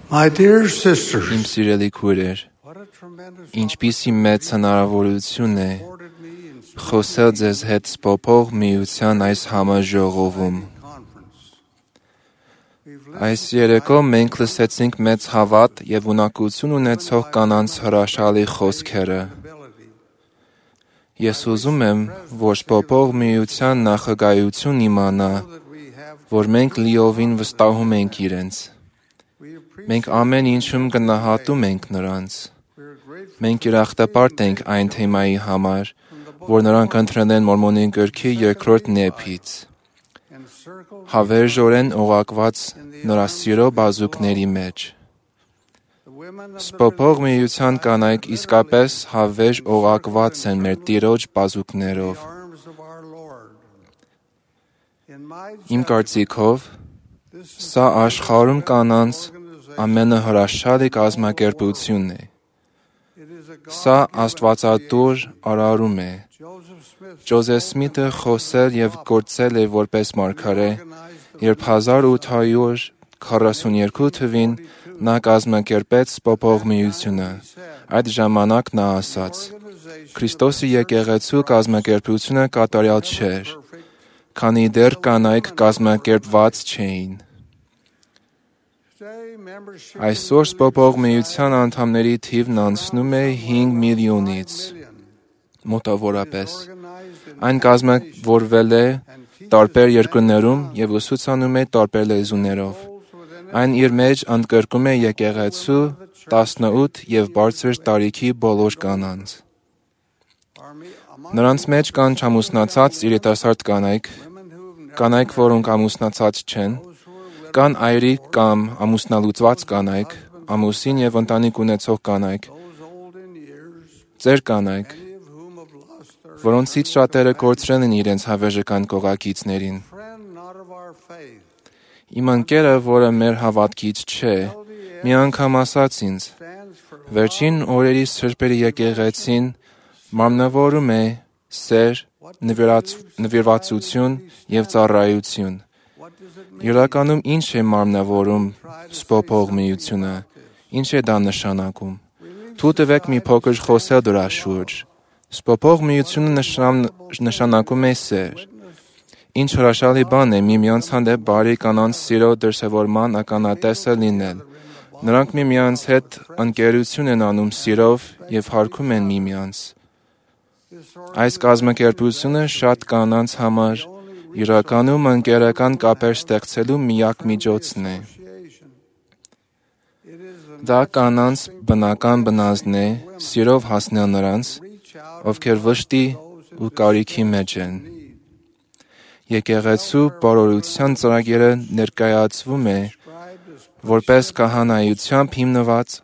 My dear sisters, Իմ սիրելի քույրեր, ինչպիսի մեծ հնարավորություն է խոսել ձեզ հետ սփոփող միության այս համաժողովում։ Այս երեկո մենք լսեցինք մեծ հավատ եւ ունակություն ունեցող կանանց հրաշալի խոսքերը։ Ես ուզում եմ, որ սփոփող միության նախագահություն իմանա, որ մենք լիովին վստահում ենք իրենց։ Մենք ամեն ինչում գնահատում ենք նրանց։ Մենք ուրախտապարտ ենք այն թեմայի համար, որ նրանք ընտրել են Մորմոնի գրքի երկրորդ նեփից։ Հավերժորեն օղակված նրա սիրո բազուկների մեջ։ Սփոփող միության կանայք իսկապես հավերժ օղակված են մեր Տիրոջ բազուկներով։ Իմ կարծիքով, սա աշխարհում կանանց ամենահրաշալի կազմակերպությունն է։ Սա աստվածատուր արարում է։ Ջոզեֆ Սմիթը խոսել եւ գործել է որպես մարգարե, երբ 1842 թվականին նա կազմակերպեց սփոփող միությունը։ Այդ ժամանակ նա ասաց. Քրիստոսի եկեղեցու կազմակերպությունը կատարյալ չէր, քանի դեռ կանայք կազմակերպված չէին։ Այսօր սփոփող միության անդամների թիվն անցնում է 5 միլիոնից, մոտավորապես։ Այն կազմավորվել է տարբեր երկրներում եւ ուսուցանում է տարբեր լեզուներով։ Այն իր մեջ ընդգրկում է եկեղեցու 18 եւ բարձր տարիքի բոլոր կանանց։ Նրանց մեջ կան չամուսնացած երիտասարդ կանայք, որոնք ամուսնացած չեն, կան այրիկ կամ ամուսնալուծված կանայք, ամուսին եւ ընտանիք ունեցող կանայք, ծեր կանայք, որոնցից շատերը կորցրել են իրենց հավերժական կողակիցներին։ Իմ ընկերը, որը մեր հավատքից չէ, մի անգամ ասաց ինձ. վերջին օրերի սրբերի եկեղեցին մարմնավորում է սեր, նվիրվածություն եւ ծառայություն։ Իրականում ինչ է մարմնավորում սփոփող միությունը, ինչ է դա նշանակում։ Թույլ տվեք մի փոքր խոսել դրա շուրջ։ Սփոփող միությունը նշանակում է սեր։ Ինչ հրաշալի բան է միմյանց հանդեպ բարի կանանց սիրո դրսևորման ականատեսը լինել։ Նրանք միմյանց հետ ընկերություն են անում սիրով եւ հարգում են միմյանց։ Այս կազմակերպությունը շատ կանանց համար իրականում ընկերական կապեր ստեղծելու միակ միջոցն է։ Դա կանանց բնական բնազդն է սիրով հասնել նրանց, ովքեր վշտի ու կարիքի մեջ են։ Եկեղեցու բարօրության ծրագիրը ներկայացվում է որպես քահանայությամբ հիմնված,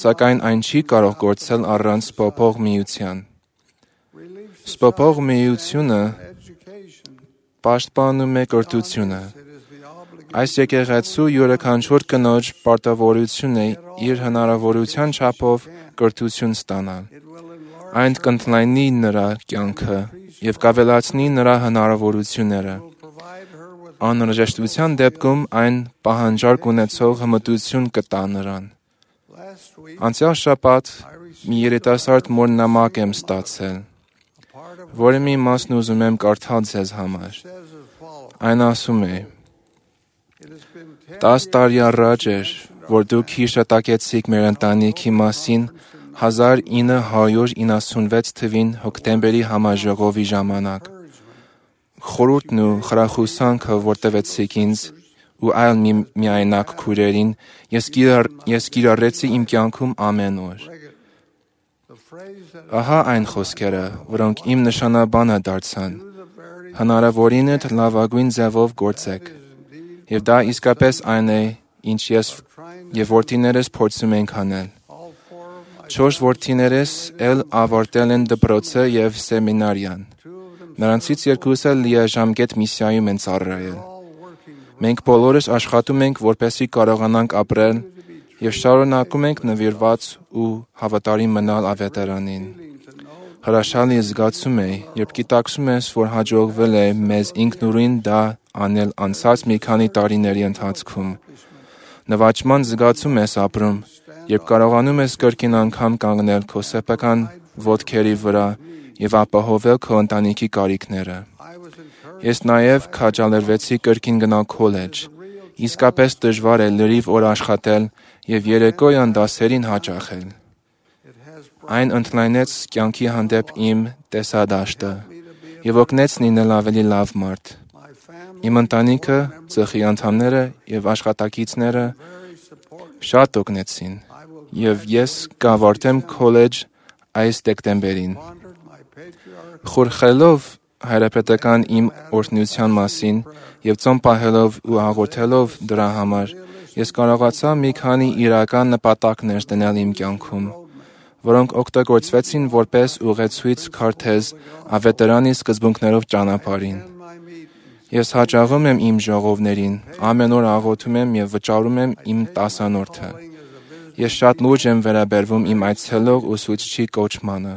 սակայն այն չի կարող գործել առանց սփոփող միության։ Սփոփող միությունը պաշտպանում է կրթությունը։ Այս եկեղեցու յուրաքանչյուր կնոջ պարտավորությունն է իր հնարավորության չափով կրթություն ստանալ։ Այն կընդլայնի նրա կյանքը եւ կավելացնի նրա հնարավորությունները։ Անհրաժեշտության դեպքում այն պահանջարկ ունեցող հմտություն կտա նրան։ Անցյալ շաբաթ մի երիտասարդ մոր նամակ եմ ստացել, որի մի մասն ուզում եմ կարդալ ձեզ համար։ Այն ասում է. 10 տարի առաջ էր, որ դուք հիշատակեցիք մեր ընտանիքի մասին 1996 թվին հոկտեմբերի համաժողովի ժամանակ։ Խորհուրդն ու խրախուսանքը, որ տվեցիք ինձ ու այլ միայնակ քույրերին, ես կիրառեցի իմ կյանքում ամեն օր։ Ահա այն խոսքերը, որոնք իմ նշանաբանը դարձան. հնարավորինդ լավագույն ձևով գործեք։ Եվ դա իսկապես այն է, ինչ ես եւ որդիներս փորձում ենք անել։ 4 որդիներս էլ ավարտել են դպրոցը եւ սեմինարիան։ Նրանցից 2-ը լիաժամկետ միսիայում են ծառայել։ Մենք բոլորս աշխատում ենք, որպեսզի կարողանանք ապրել եւ շարունակում ենք նվիրված ու հավատարիմ մնալ ավետարանին։ Հրաշալի զգացում է, երբ գիտակցում ես, որ հաջողվել է մեզ ինքնուրույն դա անել անցած մի քանի տարիների ընթացքում։ նվաճման զգացում ես ապրում, երբ կարողանում ես կրկին անգամ կանգնել քո սեփական ոտքերի վրա և ապահովել քո ընտանիքի կարիքները։ Ես նաև քաջալերվեցի կրկին գնալ քոլեջ։ Իսկապես դժվար է լրիվ օր աշխատել և երեկոյան դասերին հաճախել։ Այն ընդլայնեց կյանքի հանդեպ իմ տեսադաշտը և օգնեց լինել ավելի լավ մարդ։ Իմ ընտանիքը, ծխի անդամները և աշխատակիցները շատ օգնեցին, և ես կավարտեմ քոլեջ այս դեկտեմբերին։ Խորհելով հայրապետական իմ օրհնության մասին և ծոմ պահելով ու աղոթելով դրա համար, ես կարողացա մի քանի իրական նպատակներ դնել իմ կյանքում, որոնք օգտագործվեցին որպես ուղեցույց քարտեզ ավետարանի սկզբունքներով ճանապարհին։ Ես հաճախում եմ իմ ժողովներին, ամեն օր աղոթում եմ և վճարում եմ իմ տասանորդը։ Ես շատ լուրջ եմ վերաբերվում իմ այցելող ուսուցչի կոչմանը։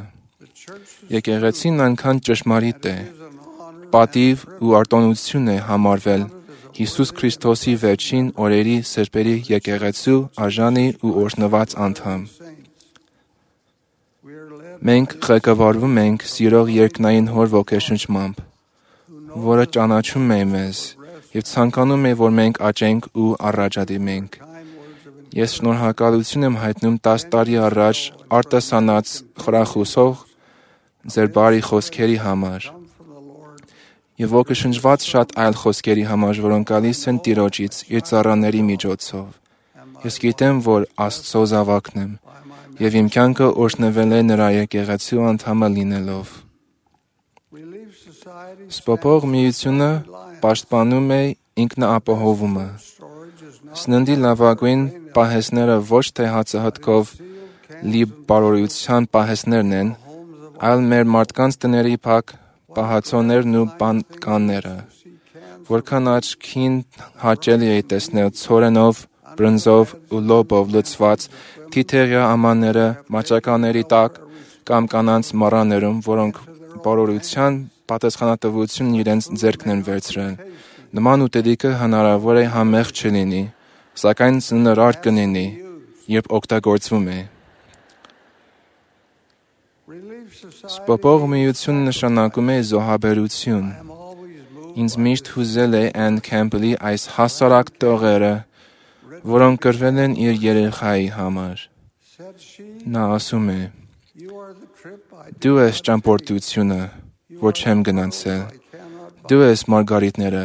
Եկեղեցին այնքան ճշմարիտ է, պատիվ ու արտոնություն է համարվել Հիսուս Քրիստոսի վերջին օրերի սրբերի եկեղեցու արժանի ու օրհնված անդամ։ Մենք ղեկավարվում ենք սիրող երկնային Հոր ոգեշնչմամբ, որը ճանաչում է մեզ և ցանկանում է, որ մենք աճենք ու առաջադիմենք։ Ես շնորհակալություն եմ հայտնում 10 տարի առաջ արտասանած խրախուսող ձեր բարի խոսքերի համար և ոգեշնչված շատ այլ խոսքերի համար, որոնք գալիս են Տիրոջից իր ծառաների միջոցով։ Ես գիտեմ, որ Աստծո զավակն եմ և իմ կյանքը օրհնվել է նրա եկեղեցու անդամը լինելով։ Սպոփող միությունը պաշտպանում է ինքնաապահովումը։ Սննդի լավագույն պահեստները ոչ թե հացահատկով լի բարօրության պահեստներն են, այլ մեր մարդկանց տների փակ պահածոներն ու բանկանները։ Որքան աչքին հաճելի է տեսնել ցորենով, բրնձով ու լոբով լցված թիթեղյա ամանները մաճականների տակ կամ կանանց մառաներում, որոնք բարօրության պատասխանատվությունն իրենց ձեռքն են վերցրել։ Նման ուտելիքը հնարավոր է համեղ չլինի, սակայն զննարար կլինի, երբ օգտագործվում է։ Սպոփող միությունը նշանակում է զոհաբերություն։ Ինձ միշտ հուզել է Անն Քեմփելի այս հասարակ տողերը, որոնք գրվել են իր երեխայի համար։ Նա ասում է. «Դու ես ճամփորդությունը, որ չեմ գնացել։ Դու ես մարգարիտները,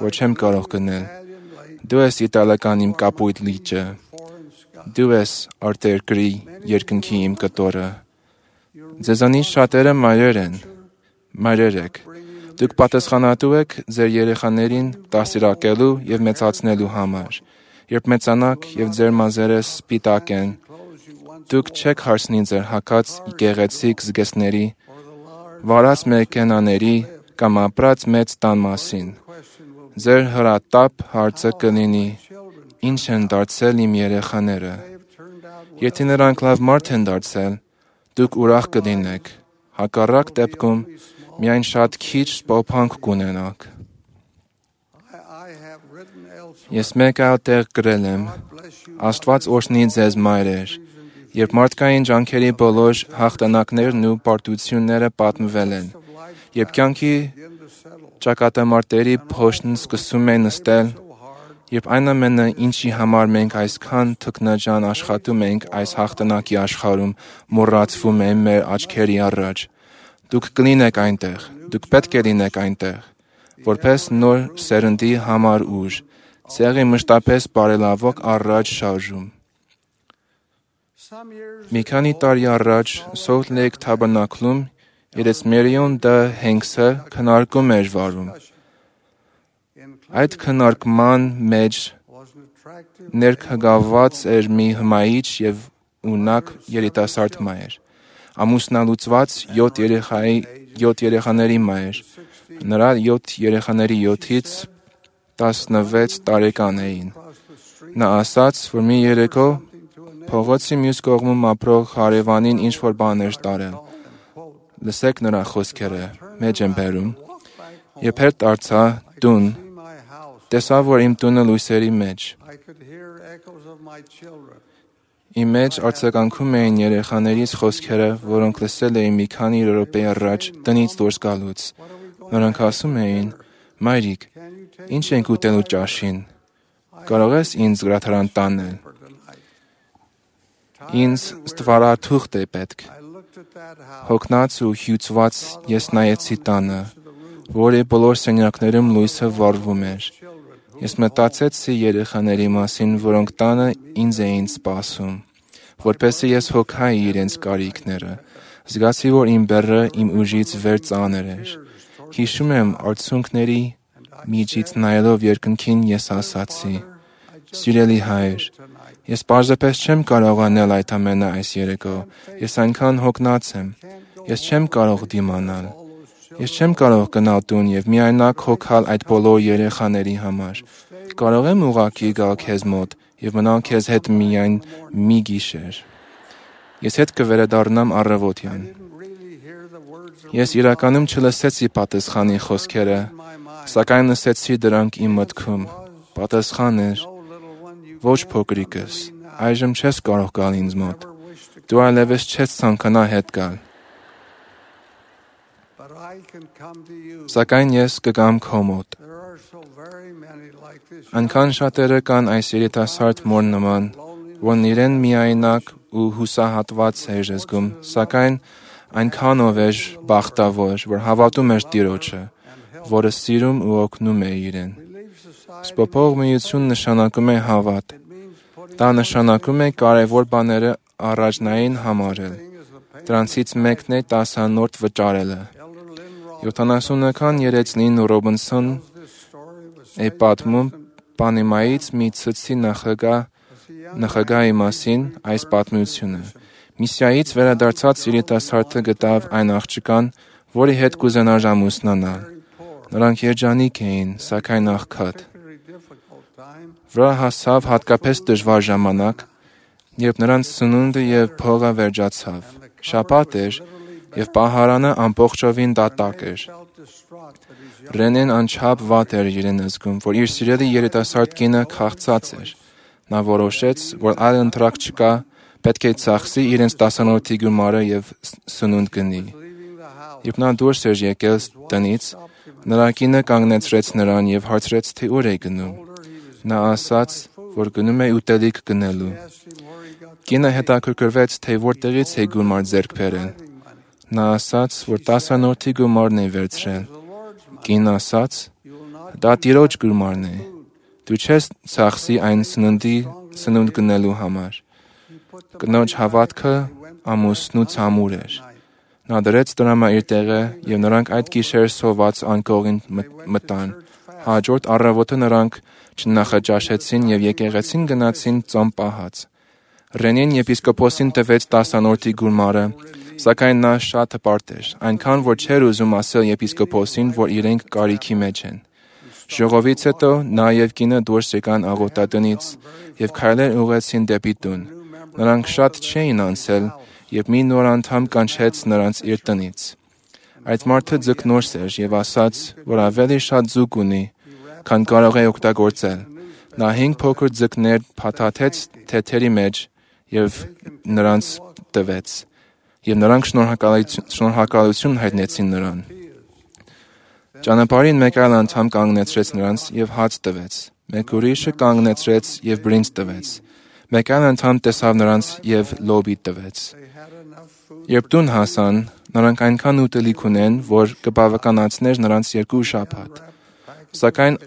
որ չեմ կարող գնել։ Դու ես իտալական իմ կապույտ լիճը։ Դու ես արտերկրի երկնքի իմ կտորը։ Ձեզանից շատերը մայրեր են, մայրեր եք։ Դուք պատասխանատու եք ձեր երեխաներին դաստիարակելու և մեծացնելու համար։ Երբ մեծանաք և ձեր մազերը սպիտակ են, դուք չեք հարցնի ձեր հագած գեղեցիկ զգեստների, վարած մեքենաների կամ ապրած մեծ տան մասին։ Ձեր հրատապ հարցը կլինի. «Ինչ են դարձել իմ երեխաները»։ Եթե նրանք լավ մարդ են դարձել, դուք ուրախ կլինեք։ Հակառակ դեպքում միայն շատ քիչ սպոփանք կունենաք։ Ես մեկ այլ տեղ գրել եմ. «Աստված օրհնի ձեզ մայրեր, երբ մարդկային ջանքերի բոլոր հաղթանակներն ու պարտությունները պատմվել են, երբ կյանքի ճակատամարտերի փոշին սկսում է նստել, երբ այն ամենը, ինչի համար մենք այսքան թքնաջան աշխատում ենք այս հաղթանակի աշխարհում, մոռացվում է մեր աչքերի առաջ, դուք կլինեք այնտեղ, դուք պետք է լինեք այնտեղ, որպես նոր սերնդի համար ուժ, ցեղի մշտապես բարելավող առաջ շարժում»։ Մի քանի տարի առաջ Salt Lake Tabernacle-ում իրենց Marion D. Hanks-ը քննարկում էր վարում։ Այդ քննարկման մեջ ներգրավված էր մի հմայիչ և ունակ երիտասարդ մայր, ամուսնալուծված 7 երեխաների մայր։ Նրա 7 երեխաների 7-ից 16 տարեկան էին։ Նա ասաց, որ մի երեկո փողոցի մյուս կողմում ապրող հարևանին ինչ-որ բան էր տարել։ Լսեք նրա խոսքերը, մեջ եմ բերում. «Երբ հետ դարձա տուն, տեսա, որ իմ տունը լույսերի մեջ։ Իմ մեջ արձագանքում էին երեխաներիս խոսքերը, որոնք լսել էի մի քանի րոպե առաջ տնից դուրս գալուց։ Նրանք ասում էին. «Մայրիկ, ինչ ենք ուտելու ճաշին։ Կարող ես ինձ գրադարան տանել։ Ինձ ստվարաթուղթ է պետք»։ Հոգնած ու հյուծված ես նայեցի տանը, որի բոլոր սենյակներում լույսը վառվում էր։ Ես մտածեցի երեխաների մասին, որոնք տանը ինձ էին սպասում, որպեսզի ես հոգայի իրենց կարիքները։ Զգացի, որ իմ բեռը իմ ուժից վեր ծանր էր։ Հիշում եմ արցունքների միջից նայելով երկնքին ես ասացի. «Սիրելի Հայր, ես պարզապես չեմ կարող անել այդ ամենը այս երեկո։ Ես այնքան հոգնած եմ։ Ես չեմ կարող դիմանալ։ Ես չեմ կարող գնալ տուն և միայնակ հոգալ այդ բոլոր երեխաների համար։ Կարող եմ ուղղակի գալ քեզ մոտ և մնալ քեզ հետ միայն մի գիշեր։ Ես հետ կվերադառնամ առավոտյան»։ Ես իրականում չլսեցի պատասխանի խոսքերը, սակայն լսեցի դրանք իմ մտքում։ Պատասխան էր. «Ոչ փոքրիկս, այժմ չես կարող գալ ինձ մոտ։ Դու այլևս չես ցանկանա հետ գալ։ Սակայն ես կգամ քո մոտ»։ Այնքան շատերը կան այս երիտասարդ մոր նման, որն իրեն միայնակ ու հուսահատված էր զգում, սակայն այնքանով էր բախտավոր, որ հավատում էր Տիրոջը, որը սիրում ու օգնում է իրեն։ Սփոփող միություն նշանակում է հավատ։ Դա նշանակում է կարևոր բաները առաջնային համարել։ Դրանցից մեկն է տասանորդ վճարելը։ 70-ական երեցնին Ռոբինսոնն է պատմում Պանամայից մի ցցի նախագահի մասին այս պատմությունը։ Միսիայից վերադարձած երիտասարդը գտավ այն աղջկան, որի հետ կուզենար ամուսնանալ։ Նրանք երջանիկ էին, սակայն աղքատ։ Վրա հասավ հատկապես դժվար ժամանակ, երբ նրանց սնունդը և փողը վերջացավ։ Շաբաթ էր, և պահարանը ամբողջովին դատարկ էր։ Ռենեն անչափ վատ էր իրեն զգում, որ իր սիրելի երիտասարդ կինը քաղցած էր։ Նա որոշեց, որ այլ ընտրակ չկա, պետք է ծախսի իրենց տասանորդի գումարը և սնունդ գնի։ Երբ նա դուրս էր եկել տնից, նրա կինը կանգնեցրեց նրան և հարցրեց, թե ուր է գնում։ Նա ասաց, որ գնում է ուտելիք գնելու։ Կինը հետաքրքրվեց, թե որտեղից է գումար ձեռք բերել։ Նա ասաց, որ տասանորդի գումարն է վերցրել։ Կինն ասաց. «Դա Տիրոջ գումարն է։ Դու չես ծախսի այն սնունդ գնելու համար»։ Կնոջ հավատքը ամուսնու ցամուր էր։ Նա դրեց դրամը իր տեղը, և նրանք այդ գիշեր սոված անկողին մտան։ Հաջորդ առավոտը նրանք չնախաճաշեցին և եկեղեցին գնացին ծոմ պահած։ Ռենին եպիսկոպոսին տվեց տասանորդի գումարը, սակայն նա շատ հպարտ էր, այնքան որ չէր ուզում ասել եպիսկոպոսին, որ իրենք կարիքի մեջ են։ Ժողովից հետո նա և կինը դուրս եկան աղոթատնից և քայլեր ուղղեցին դեպի տուն։ Նրանք շատ չէին անցել, երբ մի նոր անդամ կանչեց նրանց իր տնից։ Այդ մարդը ձկնորս էր և ասաց, որ ավելի շատ ձուկ ունի, քան կարող է օգտագործել։ Նա 5 փոքր ձկներ փաթաթեց թեթերի մեջ և նրանց տվեց, և նրանք շնորհակալություն հայտնեցին նրան։ Ճանապարհին մեկ այլ անդամ կանգնեցրեց նրանց և հաց տվեց։ Մեկ ուրիշը կանգնեցրեց և բրինձ տվեց։ Մեկ այլ անդամ տեսավ նրանց և լոբի տվեց։ Երբ տուն հասան, նրանք այնքան ուտելիք ունեն, որ կբավականացներ նրանց 2 շաբաթ։ Սակայն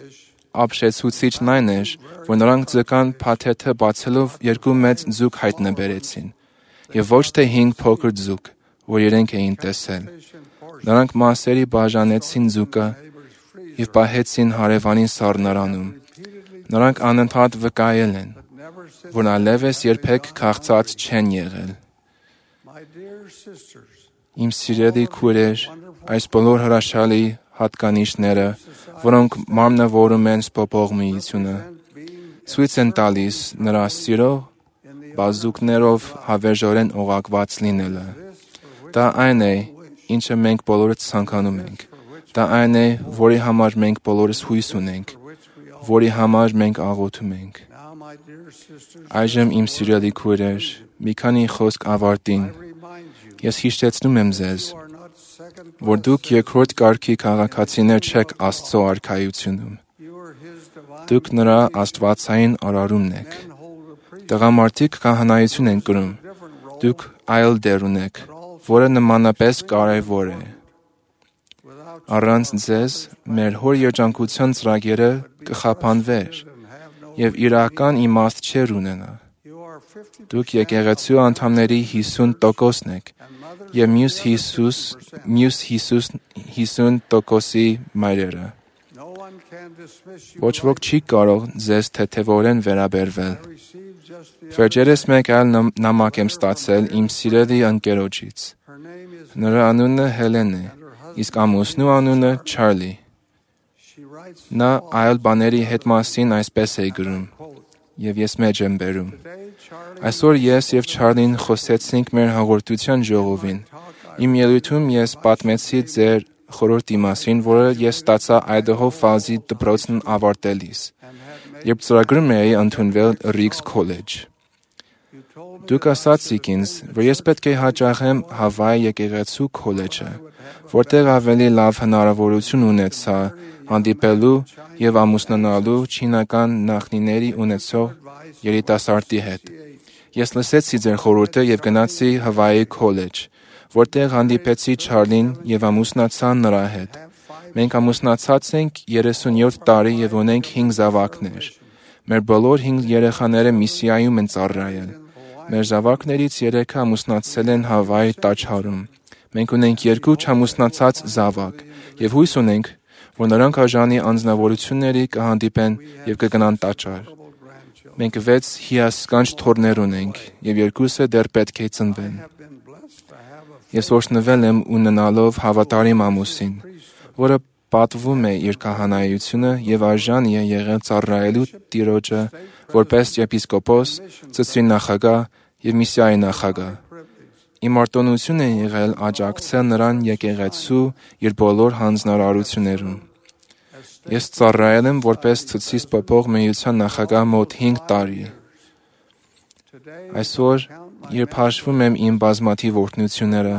ապշեցուցիչն այն էր, որ նրանք ձկան փաթեթը բացելով 2 մեծ ձուկ հայտնաբերեցին, և ոչ թե 5 փոքր ձուկ, որ իրենք էին տեսել։ Նրանք մասերի բաժանեցին ձուկը և պահեցին հարևանի սառնարանում։ Նրանք անընդհատ վկայել են, որ այլևս երբեք քաղցած չեն եղել։ Իմ սիրելի քույրեր, այս բոլոր հրաշալի հատկանիշները, որոնք մարմնավորում են սփոփող միությունը, ցույց են տալիս նրա սիրո բազուկներով հավերժորեն օղակված լինելը։ Դա այն է, ինչը մենք բոլորս ցանկանում ենք։ Դա այն է, որի համար մենք բոլորս հույս ունենք, որի համար մենք աղոթում ենք։ Այժմ իմ սիրելի քույրեր, մի քանի խոսք ավարտին։ Ես հիշեցնում եմ ձեզ, որ դուք երկրորդ կարգի քաղաքացիներ չեք Աստծո արքայությունում։ Դուք նրա աստվածային արարումն եք։ Տղամարդիկ քահանայություն են կրում։ Դուք այլ դեր ունեք, որը նմանապես կարևոր է։ Առանց ձեզ մեր հոր երջանկության ծրագիրը կխափանվեր եւ իրական իմաստ չեր ունենա։ Դուք եկեղեցու անդամների 50%-ն եք եւ մյուս 50%-ի մայրերը։ Ոչ ոք չի կարող ձեզ թեթևորեն վերաբերվել։ Վերջերս մեկ այլ նամակ եմ ստացել իմ սիրելի ընկերոջից։ Նրա անունը Հելեն է, իսկ ամուսնու անունը Չարլի։ Նա այլ բաների հետ մասին այսպես է գրում, եւ ես մեջ եմ բերում։ Այսօր ես եւ Չարլին խոսեցինք մեր հաղորդության ժողովին։ Իմ ելույթում ես պատմեցի ձեր խորհրդի մասին, որը ես ստացա Idaho Falls-ի դպրոցն ավարտելիս, երբ ծրագրում էի ընդունվել Riggs College։ Դուք ասացիք ինձ, որ ես պետք է հաճախեմ Հավայի եկեղեցու քոլեջը, որտեղ ավելի լավ հնարավորություն ունեցա հանդիպելու եւ ամուսնանալու չինական նախնիների ունեցող երիտասարդի հետ։ Ես լսեցի ձեր խորհուրդը եւ գնացի Հավայի քոլեջ, որտեղ հանդիպեցի Չարլին եւ ամուսնացա նրա հետ։ Մենք ամուսնացած ենք 37 տարի եւ ունենք 5 զավակներ։ Մեր բոլոր 5 երեխաները միսիայում են ծառայել։ Մեր զավակներից 3-ը ամուսնացել են Հավայի տաճարում։ Մենք ունենք 2 չամուսնացած զավակ եւ հույս ունենք, որ նրանք արժանի անձնավորությունների կհանդիպեն եւ կգնան տաճար։ Մենք 6 հիասքանչ թոռներ ունենք եւ 2-ը դեռ պետք է ծնվեն։ Ես օրհնվել եմ ունենալով հավատարիմ ամուսին, որը պատվում է իր քահանայությունը եւ արժան է եղել ծառայելու Տիրոջը որպես եպիսկոպոս, ծծրի նախագահ եւ միսիայի նախագահ։ Իմ արտոնություն է եղել աջակցել նրան եկեղեցու իր բոլոր հանձնարարություններում։ Ես ծառայել եմ որպես Ցուցիչ Պոպող միության նախագահ մոտ 5 տարի։ Այսօր, երբ հաշվում եմ իմ բազմաթիվ օրհնությունները,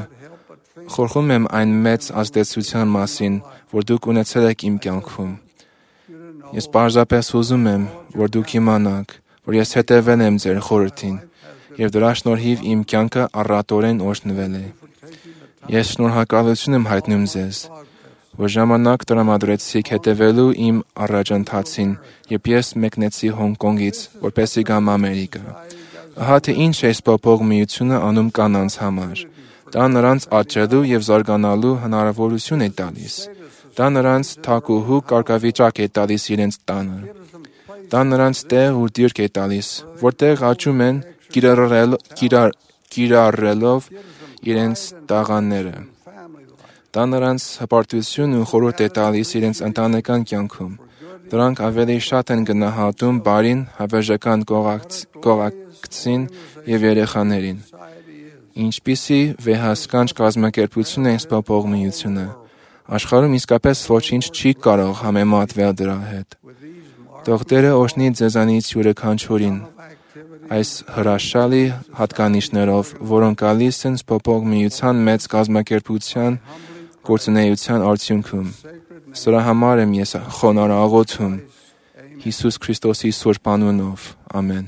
խորհում եմ այն մեծ ազդեցության մասին, որ դուք ունեցել եք իմ կյանքում։ Ես պարզապես ուզում եմ, որ դուք իմանաք, որ ես հետևել եմ ձեր խորհրդին, եւ դրա շնորհիվ իմ կյանքը առատորեն օրհնվել է։ Ես շնորհակալություն եմ հայտնում ձեզ, որ ժամանակ տրամադրեցիք հետևելու իմ առաջընթացին, երբ ես մեկնեցի Հոնկոնգից, որպեսզի գամ Ամերիկա։ Ահա թե ինչ է Պոպող միությունը անում կանանց համար։ Դա նրանց աճելու եւ զարգանալու հնարավորություն է տալիս։ Դա նրանց թակուհու կարգավիճակ է տալիս իրենց տանը։ Դա նրանց տեղ ու դիրք է տալիս, որտեղ աճում են կիրառելով իրենց տաղանները։ Դա նրանց հպարտություն ու խորհուրդ է տալիս իրենց ընտանեկան կյանքում։ Դրանք ավելի շատ են գնահատում բարին, հավերժական կողակցին եւ երեխաներին։ Ինչպիսի վեհասկանչ կազմակերպություն է Պոպող միությունը։ Աշխարհում իսկապես ոչինչ չի կարող համեմատվել դրա հետ։ Թող Տերը օրհնի ձեզանից յուրաքանչյուրին այս հրաշալի հատկանիշներով, որոնք գալիս են Պոպող միության մեծ կազմակերպության գործունեության արդյունքում։ Սրա համար եմ ես խոնարհ աղոթում Հիսուս Քրիստոսի սուրբ անունով։ Ամեն։